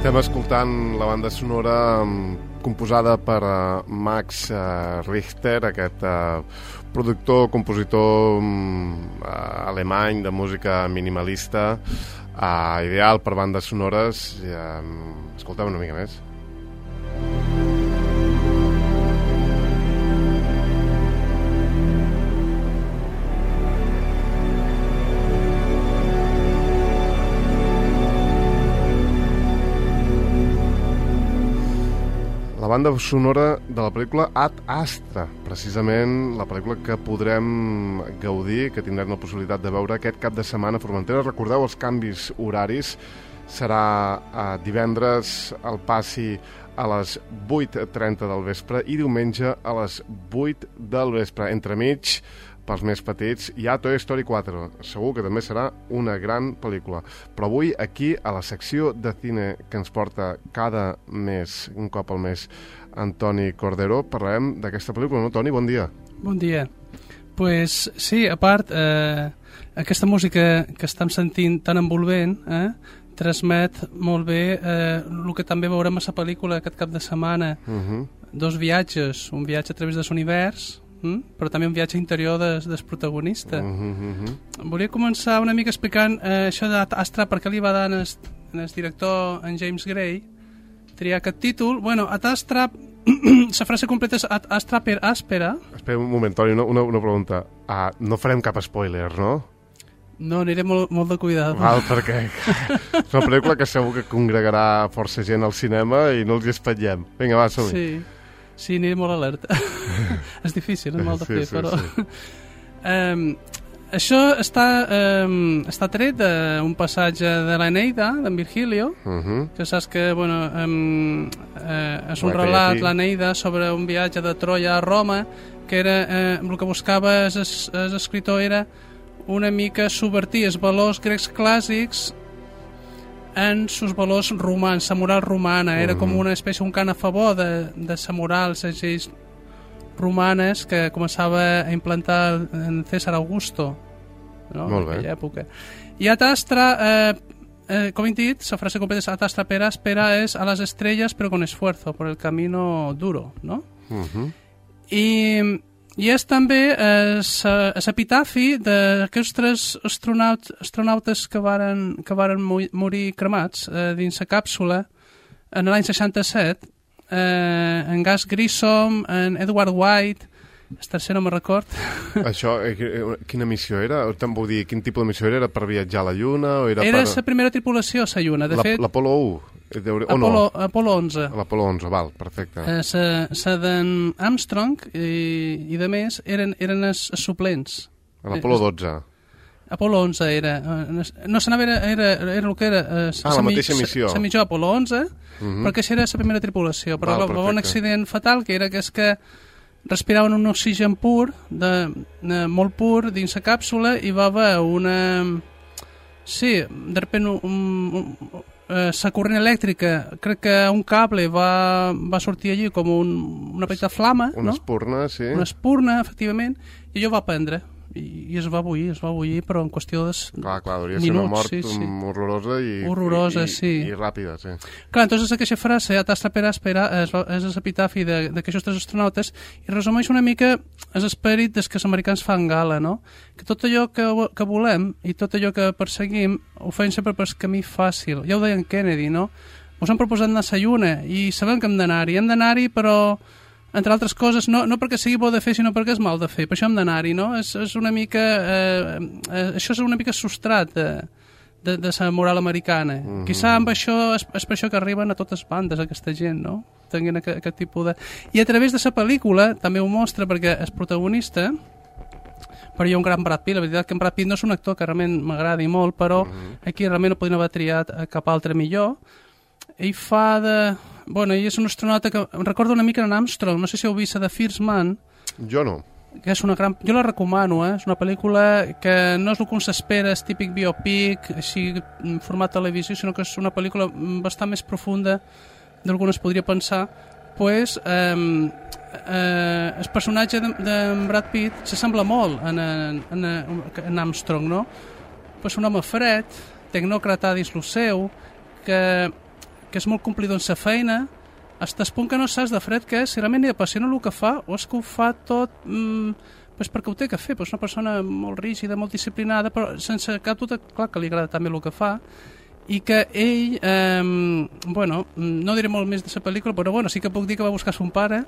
Estem escoltant la banda sonora composada per Max Richter, aquest productor, compositor alemany de música minimalista, ideal per bandes sonores. Escoltem una mica més. La banda sonora de la pel·lícula Ad Astra, precisament la pel·lícula que podrem gaudir, que tindrem la possibilitat de veure aquest cap de setmana a Formentera. Recordeu els canvis horaris, serà divendres al Passi a les 8:30 del vespre i diumenge a les 8 del vespre. Entremig, pels més petits, hi ha Toy Story 4. Segur que també serà una gran pel·lícula. Però avui, aquí, a la secció de cine que ens porta cada mes, un cop al mes, Antoni Cordero, parlarem d'aquesta pel·lícula, no, Toni? Bon dia. Bon dia. Pues sí, a part, aquesta música que estem sentint tan envolvent, transmet molt bé el que també veurem a la pel·lícula aquest cap de setmana. Dos viatges, un viatge a través de l'univers, però també un viatge interior del protagonista. Volia començar una mica explicant això d'Astra, per què li va dar el director, en James Gray, triar aquest títol. Bueno, Ad Astra, la frase completa és Ad Astra per Aspera. Espera un moment, Toni, una pregunta. No farem cap spoiler, no? No, aniré molt de cuidado. Val, perquè és una pel·lícula que segur que congregarà força gent al cinema i no els hi espatllem. Vinga, va, som-hi. Sí, aniré molt alerta. És difícil, és molt de fer, però... Això està tret d'un passatge de l'Eneida, d'en Virgilio, que saps que, bueno, és un relat, l'Eneida, sobre un viatge de Troia a Roma, que era, el que buscava l'escriptor era una mica subvertir els valors grecs clàssics en sus valors romans, la moral romana. Era com una espècie, un cant a favor de la moral, les lleis romanes que començava a implantar en César Augusto, no? En aquella època. I Ad Astra, com he dit, la frase completa és Ad Astra per Aspera, és a les estrelles però con esfuerzo, por el camino duro, no? I és també l'epitafi d'aquests tres astronautes que varen morir cremats dins la càpsula en l'any 67, en Gus Grissom, en Edward White, el tercer no me'n record. Això, quina missió era? Vull dir, quin tipus de missió era? Era per viatjar a la Lluna? Era la primera tripulació a la Lluna, de fet. L'Apolo 1? Apolo 11. L'Apolo 11, val, perfecte. La d'en Armstrong i de més eren els suplents. L'Apolo 12. Apolo 11 era... No, era el que era... la mateixa missió. La missió Apolo 11, perquè això era la primera tripulació. Però va haver un accident fatal, que era que respiraven un oxigen pur, molt pur, dins la càpsula, i va haver una... Sí, de repente la corrent elèctrica, crec que un cable va sortir allí com una petita flama, una espurna, sí. Una espurna, efectivament, i allò va prendre i es va bullir, però en qüestió de clar, hauria minuts. Ser una mort horrorosa i ràpida, sí. Clar, entonces aquesta frase, Ad Astra per Aspera, és l'epitafi d'aquests tres astronautes i resumeix una mica l'esperit des que els americans fan gala, no? Que tot allò que volem i tot allò que perseguim ho fem sempre per camí fàcil. Ja ho deia en Kennedy, no? Us han proposat anar a la Lluna i sabem que hem d'anar-hi, però entre altres coses, no perquè sigui bo de fer, sinó perquè és mal de fer. Per això hem d'anar-hi, no? És una mica... això és una mica substrat de la moral americana. Quizà amb això és per això que arriben a totes bandes aquesta gent, no? Tenint aquest tipus de... I a través de la pel·lícula també ho mostra, perquè el protagonista, però hi ha un gran Brad Pitt. La veritat que en Brad Pitt no és un actor que realment m'agradi molt, però aquí realment no podien haver triat cap altre millor. Ell fa de... Bueno, ell és un astronauta que em recorda una mica en Armstrong, no sé si heu vist The First Man. Jo no. Que és una gran... Jo la recomano, és una pel·lícula que no és el que uns espera, és típic biopic, així en format televisió, sinó que és una pel·lícula bastant més profunda del que es podria pensar. Pues, el personatge de Brad Pitt s'assembla molt en Armstrong, no? Pues un home fred, tecnòcrata dins lo seu, que és molt complidor en sa feina, fins al punt que no saps de fred que és, si realment li apassiona el que fa o és que ho fa tot pues perquè ho té que fer, pues una persona molt rígida, molt disciplinada, però sense cap dubte, clar que li agrada també el que fa, i que ell, bueno, no diré molt més de la pel·lícula, però bueno, sí que puc dir que va buscar son pare.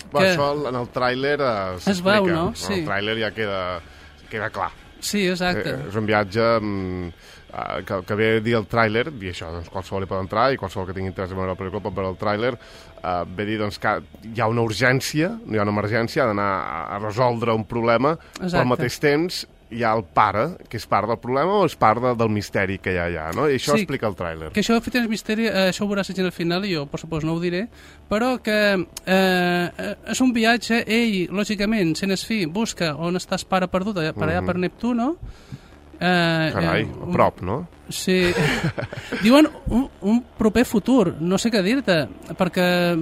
Això en el tràiler es veu, no? Sí. En el tràiler ja queda clar. Sí, exacte. És un viatge que ve a dir el tràiler, i això, doncs qualsevol hi pot entrar, i qualsevol que tingui interès en veure la pel·lícula pot veure el tràiler, ve a dir doncs, que hi ha una urgència, no hi ha una emergència, ha d'anar a resoldre un problema, però al mateix temps hi ha el pare, que és part del problema o és part del misteri que hi ha allà, no? I això explica el tràiler. Que això, fet el misteri, això ho veuràs al final, i jo, per suposo, no ho diré, però que és un viatge, ell, lògicament, sent es fi, busca on està el pare perdut, per allà per Neptuno. Carai, a prop, no? Sí. Diuen un proper futur, no sé què dir-te, perquè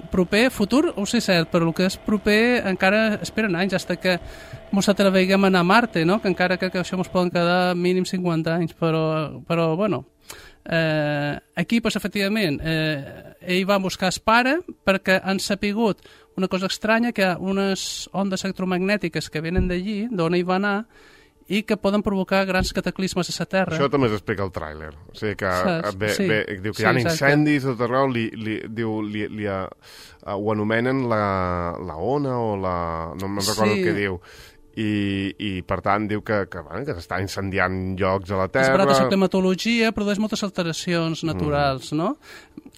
proper futur ho sé cert, però el que és proper encara esperen anys, fins que mos atreveguem a anar a Marte, no? Que encara crec que això mos poden quedar mínim 50 anys, però bueno, aquí, pues, efectivament, ell va buscar el pare perquè han sapigut una cosa estranya, que hi ha unes ondes electromagnètiques que venen d'allí, d'on ell va anar, i que poden provocar grans cataclismes a la Terra. Això també s'explica al tràiler. O sigui que diu que hi ha incendis a tot arreu, ho anomenen la ona o la... no me'n recordo el que diu. I per tant diu que s'està incendiant llocs a la Terra. És veritat, la climatologia produeix moltes alteracions naturals, no?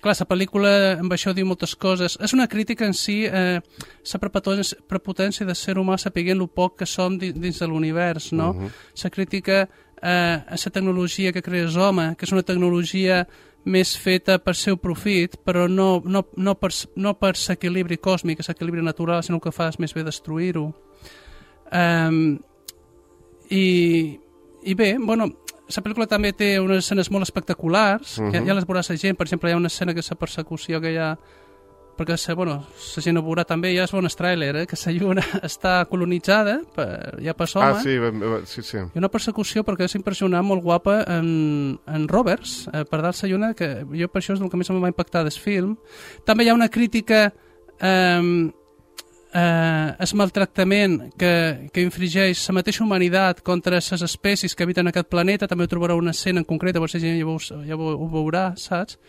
Clar, la pel·lícula amb això diu moltes coses. És una crítica en si, la prepotència de ser humà sapiguent el poc que som dins de l'univers, no? La crítica a la tecnologia que crees home, que és una tecnologia més feta per seu profit, però no per l'equilibri còsmic, l'equilibri natural, sinó que fa més bé destruir-ho. I bé, bueno, la pel·lícula també té unes escenes molt espectaculars, que ja les veuràs la gent. Per exemple, hi ha una escena que és la persecució que hi ha, perquè la gent ho veurà també, ja és bon tràiler, que la lluna està colonitzada ja per home. Sí. Hi ha una persecució perquè és impressionant, molt guapa, en rovers, per dar la lluna, que jo per això és el que més em va impactar del film. També hi ha una crítica el maltractament que infringeix la mateixa humanitat contra les espècies que habiten aquest planeta. També ho trobarà una escena en concreta, per si gent ja ho veurà, saps?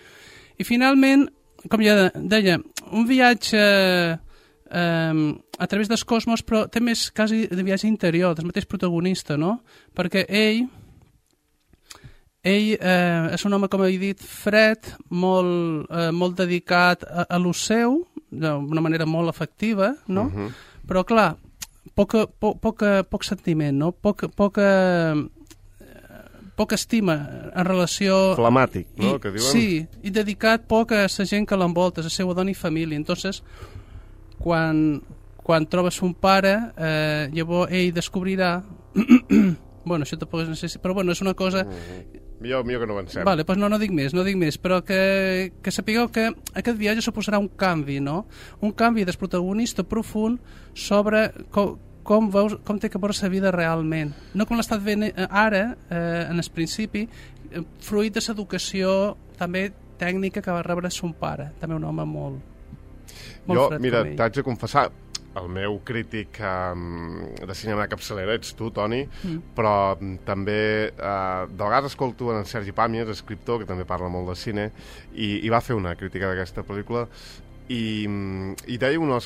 I finalment, com ja deia, un viatge a través del cosmos, però té més quasi de viatge interior, del mateix protagonista, no? Perquè ell és un home, com he dit, fred, molt dedicat a lo seu, d'una manera molt efectiva, no? Però, clar, poc sentiment, no? Poca estima en relació... Flamàtic, no? Que diuen? Sí, i dedicat poc a la gent que l'envolta, a la seva dona i família. Entonces, quan trobes un pare, llavors ell descobrirà... bueno, això tampoc és necessari, però bueno, és una cosa... Millor que no avancem. Vale, doncs no dic més, però que sapigueu que aquest viatge suposarà un canvi, no? Un canvi del protagonista profund sobre com té que veure la vida realment. No com l'estat veient ara, en el principi, fruit de l'educació també tècnica que va rebre son pare, també un home molt fred. Mira, t'haig de confessar, el meu crític de cinema de capçalera ets tu, Toni, però també de vegades escolto en Sergi Pàmies, escriptor, que també parla molt de cine, i va fer una crítica d'aquesta pel·lícula i deia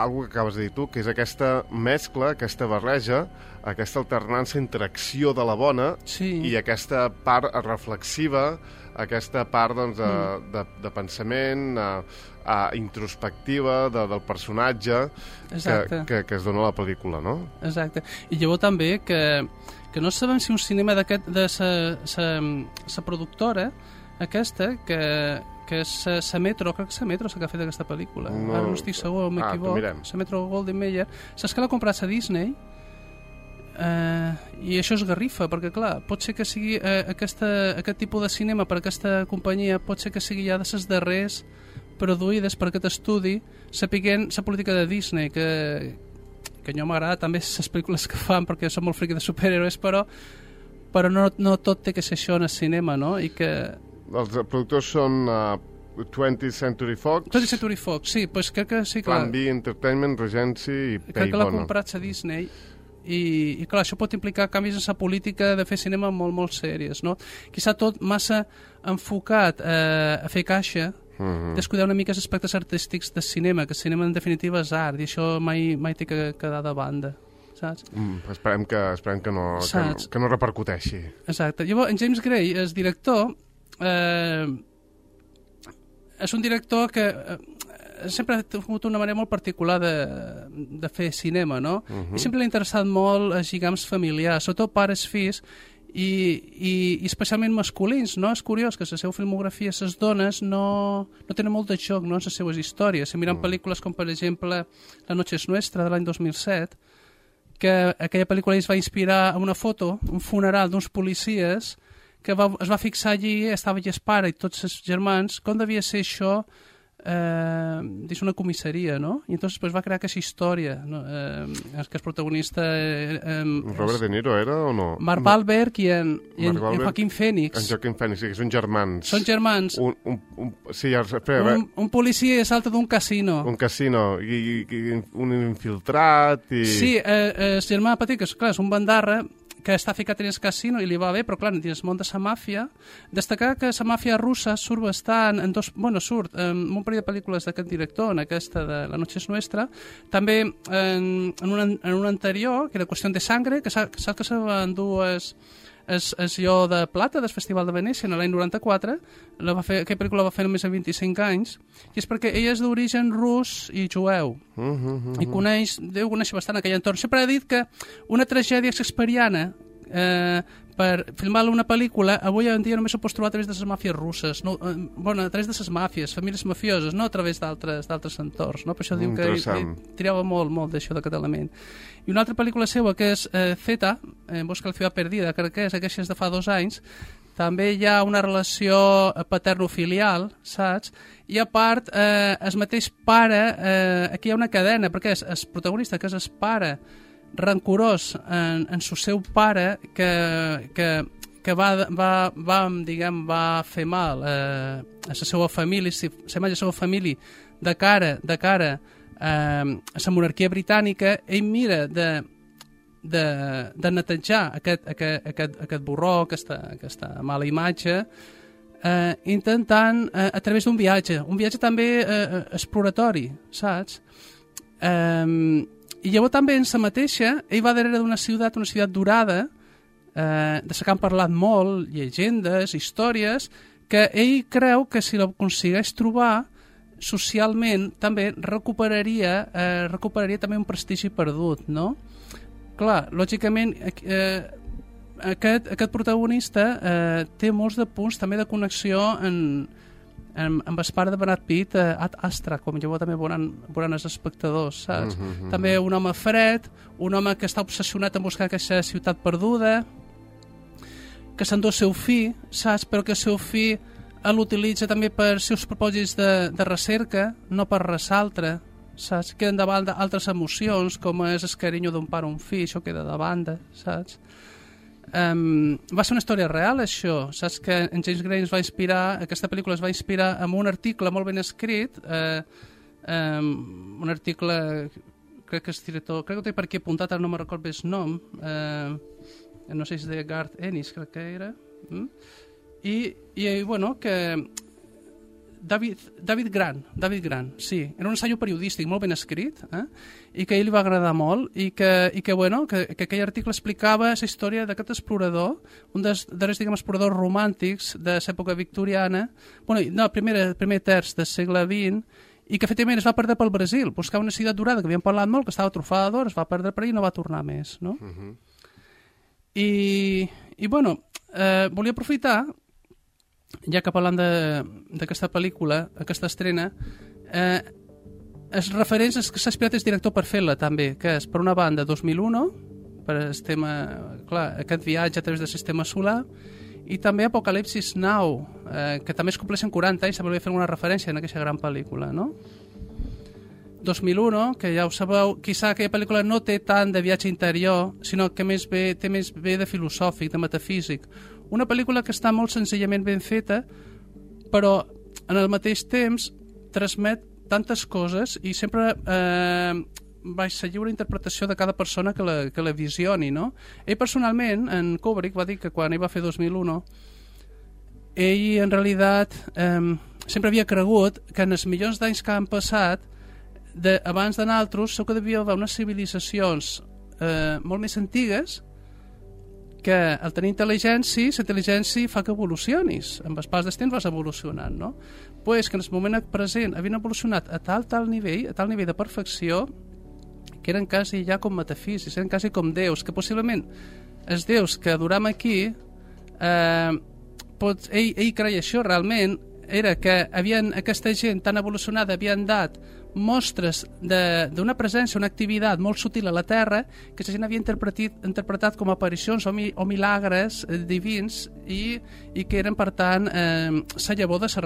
algo que acabes de dir tu, que és aquesta mescla, aquesta barreja, aquesta alternança entre acció de la bona i aquesta part reflexiva, aquesta part doncs, de pensament introspectiva del personatge que es dona a la pel·lícula, no? Exacte. I llavors també que no sabem si un cinema d'aquest de sa productora aquesta, que és la Metro, crec que és la Metro que ha fet aquesta pel·lícula. Ara no estic segur, m'equivoc. La Metro Goldwyn Mayer. Saps que l'ha comprat a Disney? I això es garrifa, perquè clar, pot ser que sigui aquest tipus de cinema per aquesta companyia, pot ser que sigui ja de les darrers produïdes per aquest estudi, sapiguent la política de Disney, que a mi m'agrada també les pel·lícules que fan, perquè som molt friqui de superhéroes, però no tot té que ser això en el cinema, no? I que Els productors són 20th Century Fox, 20th Century Fox, sí, pues crec que sí, clar. Plan B Entertainment, Regency i Crec que l'ha Paybono. comprat a Disney i clar, això pot implicar canvis en la política de fer cinema molt, molt sèries, no? Quizà tot massa enfocat a fer caixa, descuidar una mica els aspectes artístics del cinema, que el cinema en definitiva és art i això mai té que quedar de banda, saps? Esperem que no repercuteixi. Exacte. Llavors, en James Gray, el director, és un director que sempre ha tingut una manera molt particular de fer cinema, no? I sempre l'ha interessat molt els lligams familiars, sobretot pares-fills, i especialment masculins, no? És curiós que la seva filmografia, les dones no tenen molt de joc, no?, en les seues històries. Si mirem pel·lícules com, per exemple, La noche es nuestra, de l'any 2007, que aquella pel·lícula es va inspirar en una foto, un funeral d'uns policies, que es va fixar allí, estava allà el pare i tots els germans, com devia ser això dins una comissaria, no? I entonces pues, va crear aquesta història, no? Que el protagonista... Robert De Niro era o no? Mark Wahlberg i en Joaquin Phoenix. En Joaquin Phoenix, sí, que són germans. Són germans. Un policia salta d'un casino. Un casino, i un infiltrat... Sí, el germà petit, que clar, és un bandarra, que està ficat en el casino i li va bé, però clar, dins el món de la màfia, destacar que la màfia russa surt bastant surt en un parell de pel·lícules d'aquest director, en aquesta de La noche es nuestra, també en un anterior, que era Qüestió de sangre, que saps que se va endur el Lleó de Plata del Festival de Venècia en l'any 94, aquella pel·lícula la va fer només a 25 anys, i és perquè ella és d'origen rus i jueu, i deu conèixer bastant aquell entorn. Sempre he dit que una tragèdia shakespeariana per filmar una pel·lícula avui en dia només ho pots trobar a través de les màfies russes, no? A través de les màfies, famílies mafioses, no a través d'altres entorns, no? Per això diu que ell tirava molt d'això d'aquest element. I una altra pel·lícula seva que és Zeta, En busca de la ciutat perdida, crec que és aquesta de fa 2 anys, també hi ha una relació paterno-filial, saps? I a part, el mateix pare, aquí hi ha una cadena, perquè és el protagonista, que és el pare rancorós en su seu pare, que va fer mal a la seva família, a la seva família de cara a la monarquia britànica, ell mira de netejar aquest borró, aquesta mala imatge, intentant, a través d'un viatge també exploratori, saps? I llavors també en sa mateixa, ell va darrere d'una ciutat dorada, de la que han parlat molt, llegendes, històries, que ell creu que si l'aconsegueix trobar, socialment també recuperaria també un prestigi perdut, no? Clar, lògicament, aquest protagonista té molts de punts també de connexió amb el pare de Brad Pitt, Ad Astra, com llavors també veuran els espectadors, saps? També un home fred, un home que està obsessionat en buscar aquesta ciutat perduda, que s'endú el seu fill, saps? Però que el seu fill l'utilitza també per seus propòsits de recerca, no per res altre, saps? Queden davant d'altres emocions, com és el carinyo d'un pare o un fill, això queda de banda, saps? Va ser una història real, això. Saps que en James Gray aquesta pel·lícula es va inspirar en un article molt ben escrit, un article, crec que és director, crec que ho té per aquí apuntat, ara no me'n recordo bé el nom, no sé si és de Garth Ennis, crec que era, i bueno, que David Grant, sí, era un ensaio periodístic molt ben escrit, i que a ell li va agradar molt, i que bueno, que aquell article explicava la història d'aquest explorador, un dels darrers, exploradors romàntics de l'època victoriana, primer terç del segle XX, i que efectivament es va perdre pel Brasil, buscava una ciutat dorada que havíem parlat molt, que estava trufada d'or, es va perdre per allà i no va tornar més, no? I bueno, volia aprofitar, ja que parlant d'aquesta pel·lícula, aquesta estrena, els referents que s'ha inspirat el director per fer-la també, que és, per una banda, 2001, per el tema, clar, aquest viatge a través del sistema solar, i també Apocalipsis Now, que també es compleixen 40 anys, també volia fer una referència en aquesta gran pel·lícula, no? 2001, que ja ho sabeu, quizà aquella pel·lícula no té tant de viatge interior, sinó que té més bé de filosòfic, de metafísic. Una pel·lícula que està molt senzillament ben feta, però en el mateix temps transmet tantes coses i sempre vaig la lliure interpretació de cada persona que la visioni, no? Ell personalment, en Kubrick, va dir que quan ell va fer 2001, ell en realitat sempre havia cregut que en els milions d'anys que han passat abans de nosaltres segur que devia haver unes civilitzacions molt més antigues que al tenir intel·ligència, la intel·ligència fa que evolucionis. Amb el pas del temps vas evolucionant, no? Pues que en el moment present havien evolucionat a tal nivell de perfecció, que eren quasi ja com metafísics, eren quasi com déus, que possiblement els déus que adoram aquí, ell creia això realment, era que aquesta gent tan evolucionada havien dat mostres d'una presència, una activitat molt sutil a la Terra que la gent havia interpretat com aparicions o milagres divins i que eren, per tant, la llavor de les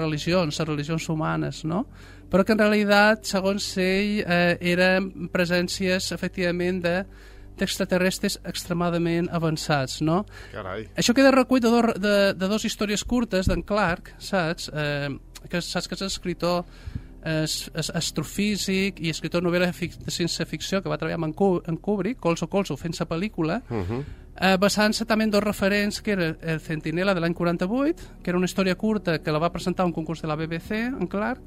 religions humanes, no? Però que en realitat, segons ell, eren presències, efectivament, d'extraterrestres extremadament avançats, no? Carai. Això queda recull de dues històries curtes d'en Clarke, saps? Que és escriptor astrofísic i escriptor de novel·la de ciència-ficció que va treballar amb en Kubrick, colzo, fent la pel·lícula, basant-se també en dos referents, que era el Centinela de l'any 48, que era una història curta que la va presentar a un concurs de la BBC, en Clarke,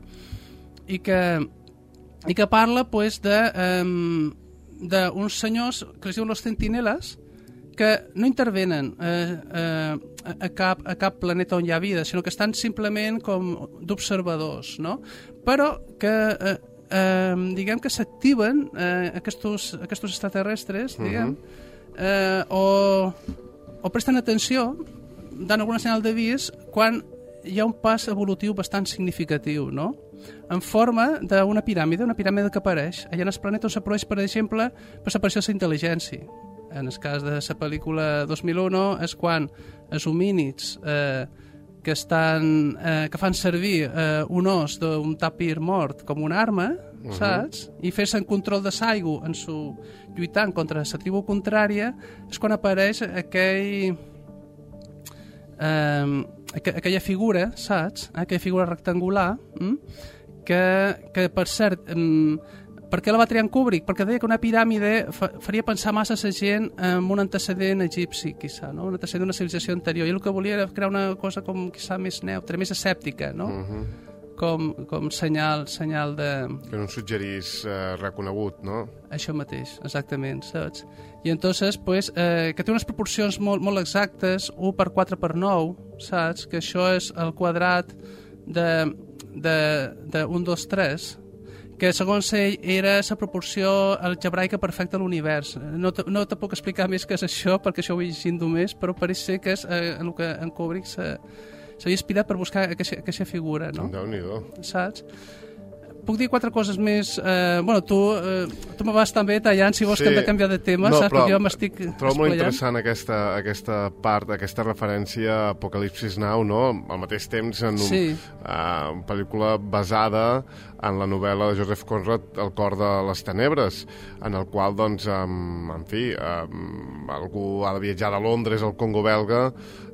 i que parla pues, d'uns senyors que es diuen los centineles, que no intervenen a cap planeta on hi ha vida, sinó que estan simplement com d'observadors, no? Però que diguem que s'activen aquests extraterrestres, diguem, o presten atenció, dan alguna senyal d'avís quan hi ha un pas evolutiu bastant significatiu, no? En forma d'una piràmide que apareix allà en el planeta on s'apareix, per exemple, per l'aparició de la intel·ligència. En el cas de la pel·lícula 2001 és quan els homínids que fan servir un os d'un tapir mort com una arma, saps? I fer-se en control de l'aigua lluitant contra la tribu contrària, és quan apareix aquella figura, saps? Aquella figura rectangular, que per cert, per què la va triar en Kubrick? Perquè deia que una piràmide faria pensar massa a la gent en un antecedent egipci, quizà, no? Un antecedent d'una civilització anterior. I el que volia era crear una cosa com, quizà, més neutra, més escèptica, no? Com senyal de... Que no suggerís reconegut, no? Això mateix, exactament, saps? I entonces, pues, que té unes proporcions molt exactes, 1 per 4 per 9, saps? Que això és el quadrat de 1, 2, 3, que segons ell era la proporció algebraica perfecta a l'univers. No te puc explicar més què és això, perquè això ho he llegit només, però pareix ser que és el que en Kubrick s'havia inspirat per buscar aquesta figura, no? Déu-n'hi-do. Saps? Puc dir 4 coses més? Tu me vas també tallant, si vols que hem de canviar de tema, no, saps? Perquè jo m'estic espollant. Trobo molt interessant aquesta part, aquesta referència a Apocalipsis Now, no? Al mateix temps, en una pel·lícula basada en la novel·la de Joseph Conrad, El cor de les tenebres, en el qual, doncs, en fi, algú ha de viatjar de Londres al Congo belga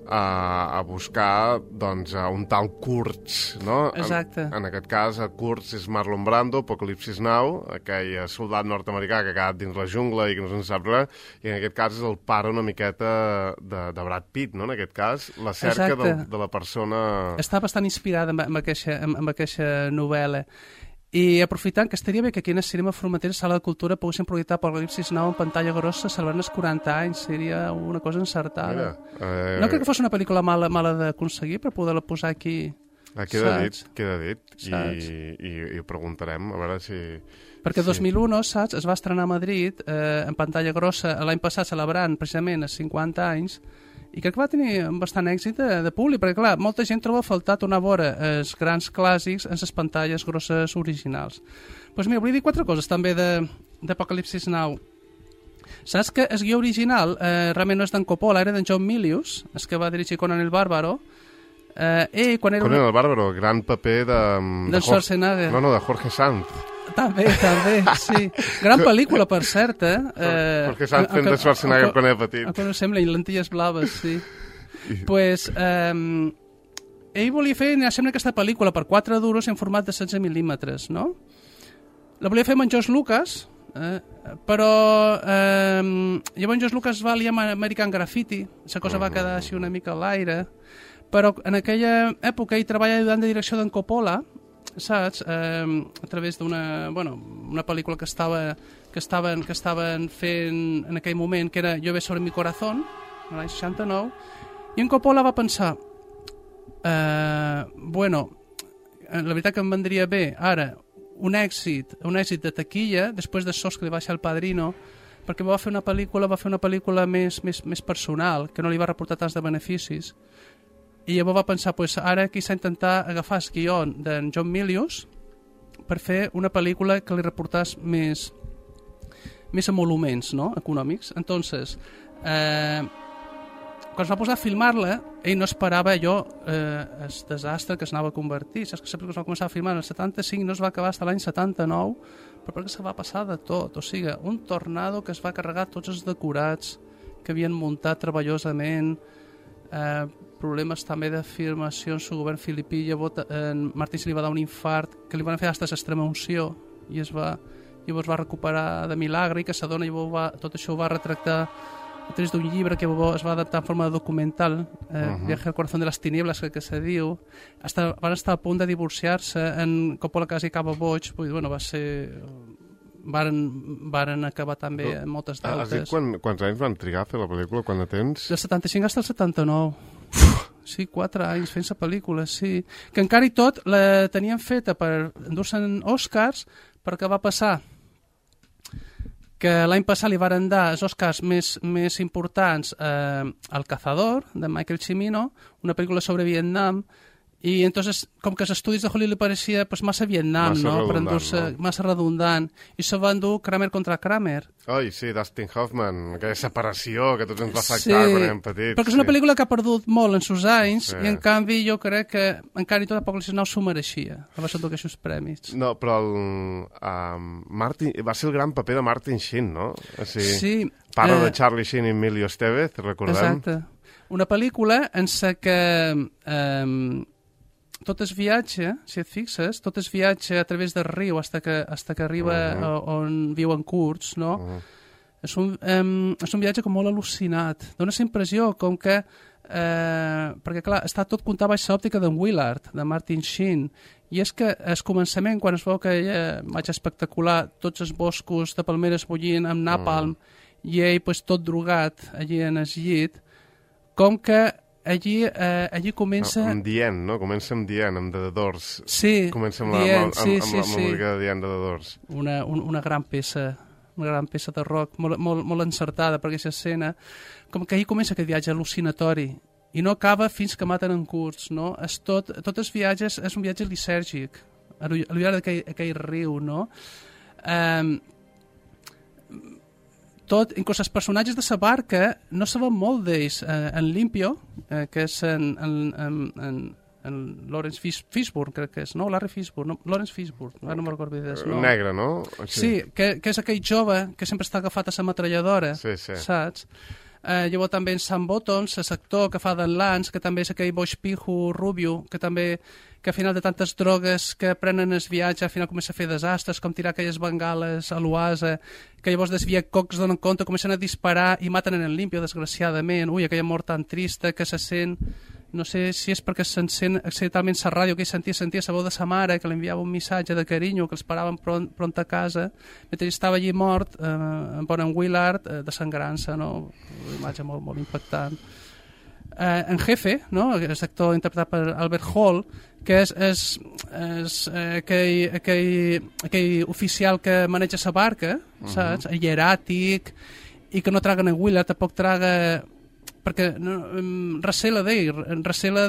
a buscar, doncs, un tal Kurtz, no? Exacte. En aquest cas, Kurtz és Marlon Brando, Apocalipsis Now, aquell soldat nord-americà que ha quedat dins la jungla i que no se'n sap res, i en aquest cas és el pare una miqueta de Brad Pitt, no? En aquest cas, la cerca de la persona... Està bastant inspirada amb aquesta novel·la. I aprofitant que estaria bé que aquí en el cinema Formentera, Sala de Cultura, poguessin projectar Apocalipsis Now en pantalla grossa celebrant els 40 anys, seria una cosa encertada. No crec que fos una pel·lícula mala d'aconseguir per poder-la posar aquí. Queda dit. I ho preguntarem, a veure si... Perquè 2001, saps, es va estrenar a Madrid en pantalla grossa l'any passat celebrant precisament els 50 anys, i crec que va tenir bastant èxit de públic, perquè clar, molta gent troba a faltar tornar a veure els grans clàssics en les pantalles grosses originals. Doncs mira, volia dir 4 coses també d'Apocalipsis Now. Saps que el guió original realment no és d'en Coppola, era d'en John Milius, el que va dirigir Conan el Bàrbaro. Conan el Bàrbaro, gran paper de Schwarzenegger. No, de Jorge Sanz. També, sí. Gran pel·lícula, per cert, Jorge Sanz fent de Schwarzenegger quan era petit. Quan sembla, i lentilles blaves, sí. Pues, ell volia fer, sembla, aquesta pel·lícula per 4 duros en format de 16 mil·límetres, no? La volia fer amb en George Lucas, però llavors George Lucas va liar amb American Graffiti, la cosa va quedar així una mica a l'aire, però en aquella època ell treballa ajudant de direcció d'en Coppola, saps? A través d'una una pel·lícula que estaven fent en aquell moment, que era Llueve sobre mi corazón, l'any 69, i en Coppola va pensar la veritat que em vendria bé ara un èxit de taquilla després de sos que li va deixar El Padrino, perquè va fer una pel·lícula més personal, que no li va reportar tants de beneficis. I llavors va pensar, ara quizà intentar agafar el guió d'en John Milius per fer una pel·lícula que li reportàs més emoluments, no?, econòmics. Entonces, quan es va posar a filmar-la, ell no esperava el desastre que s'anava a convertir. Saps que es va començar a filmar en el 75 i no es va acabar fins l'any 79, però perquè se va passar de tot. O sigui, un tornado que es va carregar tots els decorats que havien muntat treballosament, problemes també de filmació en el govern filipí. Martí se li va dar un infart que li van fer fins l'extrema unció i llavors va recuperar de milagre, i que s'adona, i tot això ho va retractar a través d'un llibre que es va adaptar en forma de documental, Viaje al corazón de las tinieblas, que se diu. Van estar a punt de divorciar-se, en Coppola quasi acaba boig, va ser... Varen acabar també amb moltes deutes. Has dit quants anys van trigar a fer la pel·lícula, quan de temps? Del 75 fins al 79. Sí, 4 anys fent la pel·lícula, sí. Que encara i tot la tenien feta per endur-se'n Oscars, perquè va passar que l'any passat li varen dar els Oscars més importants al Cazador, de Michael Cimino, una pel·lícula sobre Vietnam, i entonces, com que els estudis de Hollywood li pareixia massa Vietnam, massa redundant, i se va endur Kramer contra Kramer. Ai, sí, Dustin Hoffman, aquella separació que tots ens va afectar quan érem petits. Perquè és una pel·lícula que ha perdut molt en sus anys, i en canvi jo crec que encara i tot a poc no s'ho mereixia, va ser aquests premis. No, però va ser el gran paper de Martin Sheen, no? Sí. Pare de Charlie Sheen i Emilio Estevez, recordem? Exacte. Una pel·lícula en què tot el viatge, si et fixes, tot el viatge a través del riu hasta que arriba on viuen curts, no? És un viatge com molt al·lucinat. Dóna la impressió com que... perquè, clar, està tot comptat baix l'òptica d'en Willard, de Martin Sheen, i és que al començament, quan es veu que vaig espectacular, tots els boscos de palmeres bullint amb napalm, i ell tot drogat allí en el llit, com que allí comença... Amb Dient, no? Comença amb Dient, amb The Doors. Sí, comença amb la música de Dient de The Doors. Una gran peça de rock, molt encertada per aquesta escena. Com que allí comença aquest viatge al·lucinatori i no acaba fins que maten en curts, no? Tot els viatges és un viatge lisèrgic, a l'ullada d'aquell riu, no? Inclús els personatges de la barca no saben molt d'ells. En Limpio, que és en Lawrence Fishburne, crec que és, no? Larry Fishburne, no? Lawrence Fishburne, no me'n recordo bé. Negre, no? Sí, que és aquell jove que sempre està agafat a la metralladora, saps? Llavors també en Sam Bottoms, l'actor que fa d'en Lance, que també és aquell boix pijo rubio, que al final de tantes drogues que prenen el viatge, al final comença a fer desastres, com tirar aquelles bengales a l'oasa, que llavors desvia cocs donen compte, comencen a disparar i maten en el Limpio, desgraciadament. Ui, aquella mort tan trista que se sent... No sé si és perquè se'n sent accidentalment la ràdio, que ell sentia la veu de sa mare, que li enviava un missatge de carinyo, que els paraven pront a casa, mentre estava allí mort, en Bonham Willard, desangrant-se, no? Una imatge molt, molt impactant. En Jefe, no? És actor interpretat per Albert Hall, que és aquell oficial que maneja la barca, saps? Hieràtic, i que no traga en Willard, tampoc traga... perquè recela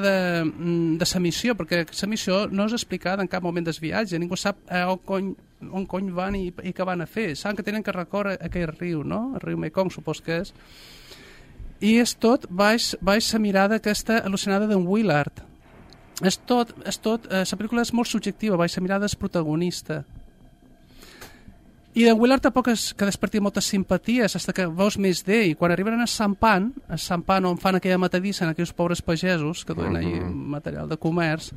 de sa missió, perquè sa missió no és explicada en cap moment del viatge, ningú sap on cony van i què van a fer, saben que tenen que recórrer aquell riu, no? El riu Mekong, supos que és, i és tot baix la mirada aquesta al·lucinada d'en Willard. És tot, la pel·lícula és molt subjectiva, baix la mirada del protagonista. I en Willard tampoc és que desperti moltes simpaties, fins que veus més d'ell. Quan arriben a Sampan on fan aquella matadissa en aquells pobres pagesos que duen allà material de comerç,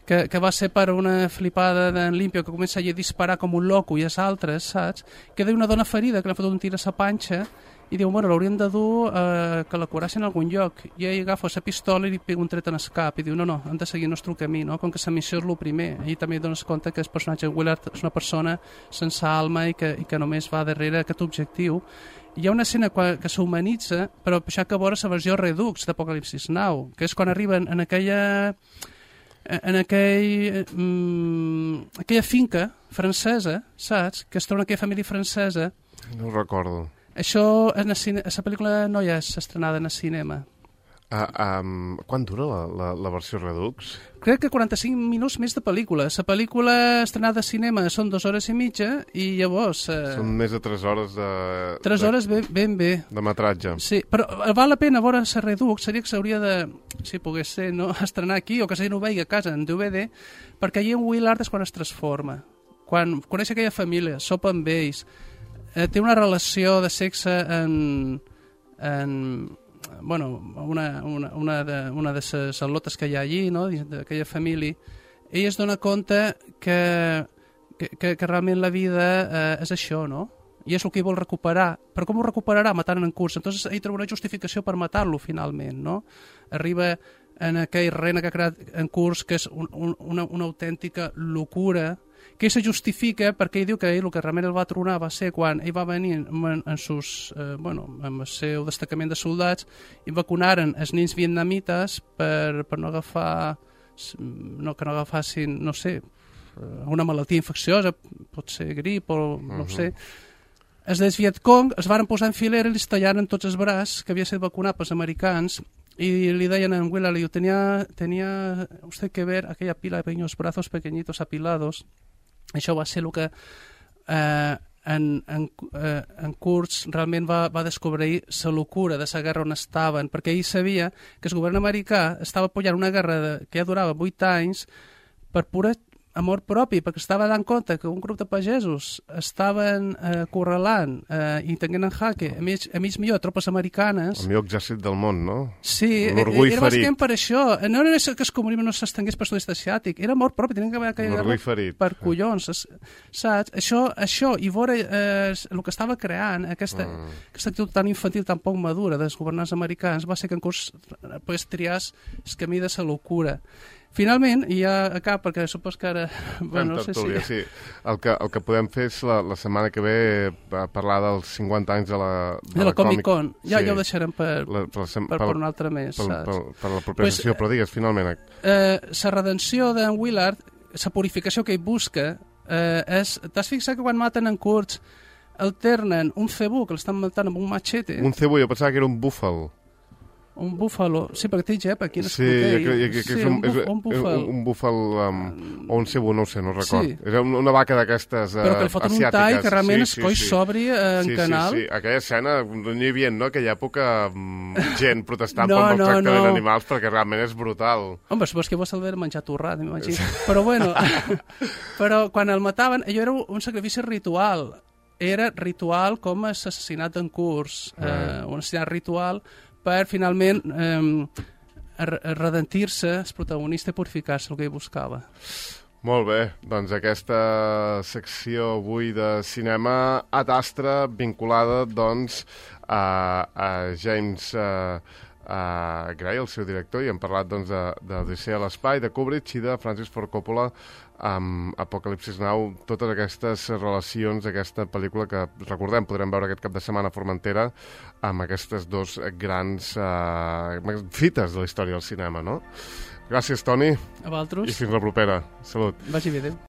que va ser per una flipada d'en Limpio que comença a disparar com un loco i els altres, saps? Queda una dona ferida que li ha fotut un tir a sa panxa i diu, bueno, l'haurien de dur que la curassin en algun lloc. I ell agafa la pistola i li pega un tret en el cap i diu, no, han de seguir el nostre camí, no? Com que la missió és el primer. I també dones compte que el personatge Willard és una persona sense alma i que només va darrere aquest objectiu. Hi ha una escena que s'humanitza, però això que veure la versió Redux d'Apocalipsis Now, que és quan arriben en aquella finca francesa, saps? Que es troba aquella família francesa. No ho recordo. Això a la pel·lícula no ja és estrenada en el cinema. Quan dura la versió Redux? Crec que 45 minuts més de pel·lícula. La pel·lícula estrenada a cinema són 2 hores i mitja i llavors... Són més de 3 hores de... 3 hores ben bé. De metratge. Sí, però val la pena veure la Redux, seria que s'hauria de, si pogués ser, no, estrenar aquí o que s'hauria no vegi a casa en DVD, perquè allà en Willard és quan es transforma. Quan coneix aquella família, sopa amb ells, té una relació de sexe bueno, una de les al·lotes que hi ha allí, no? D'aquella família, ell es dona compte que realment la vida és això, no? I és el que ell vol recuperar. Però com ho recuperarà? Matant en curs. Entonces ell troba una justificació per matar-lo, finalment, no? Arriba en aquell rena que ha creat en curs, que és una autèntica locura, que ell se justifica perquè ell diu que ell el que realment el va tronar va ser quan ell va venir amb el seu destacament de soldats i vacunaren els nens vietnamites per no agafar que no agafassin, no sé, una malaltia infecciosa, pot ser grip o no sé. Els dels Vietcong es van posar en filera i li tallaren tots els braços que havia estat vacunat pels americans y le deien en Willard, le digo, tenía usted que ver aquella pila de pequeños brazos pequeñitos apilados. Això va ser el que en Kurtz realment va descobrir la locura de la guerra on estaven, perquè ell sabia que el govern americà estava apoyant una guerra que ja durava 8 anys per pura amor propi, perquè estava dant compte que un grup de pagesos estaven acorralant i tenint en jaque a mig millor tropes americanes. El millor exèrcit del món, no? Sí, era bàsicament per això. No era que el comunisme no s'estengués per sud-est asiàtic, era amor propi, tenien que haver aquella guerra per collons, saps? Això i veure el que estava creant, aquesta actitud tan infantil, tan poc madura dels governants americans, va ser que en curs triàs el camí de la locura. Finalment, i ja acaba, perquè supos que ara... Bueno, no sé si... Sí. El que podem fer és la setmana que ve parlar dels 50 anys de la Comic-Con. Ja ho deixarem per un altre mes, saps? Per la propera sessió, però digues, finalment. La redenció d'en Willard, la purificació que ell busca, és... T'has fixat que quan maten en Kurtz alternen un cebú, que l'estan matant amb un machete? Un cebú, jo pensava que era un búfal. Un búfalo, sí, perquè té gep aquí en sí, és un búfal o un cebú, no ho sé, no record. Sí. És una vaca d'aquestes asiàtiques. Però que li foten un tall que realment es coi s'obri en canal. Sí, aquella escena, no hi havia, no?, aquella època gent protestant pel tractament d'animals perquè realment és brutal. Home, supos que vos haver menjat torrat, m'imagino. Però bueno, però quan el mataven, allò era un sacrifici ritual. Era ritual com l'assassinat d'en Kurtz, un assassinat ritual per finalment redentir-se el protagonista i purificar-se el que ell buscava. Molt bé, doncs aquesta secció avui de cinema Ad Astra vinculada doncs a James Gray, el seu director, i hem parlat doncs d'Odissea a l'espai, de Kubrick i de Francis Ford Coppola amb Apocalipsis Now, totes aquestes relacions, aquesta pel·lícula que, recordem, podrem veure aquest cap de setmana a Formentera amb aquestes dos grans fites de la història del cinema, no? Gràcies, Toni. A vosaltres. I fins la propera. Salut. Vagi bé, adéu.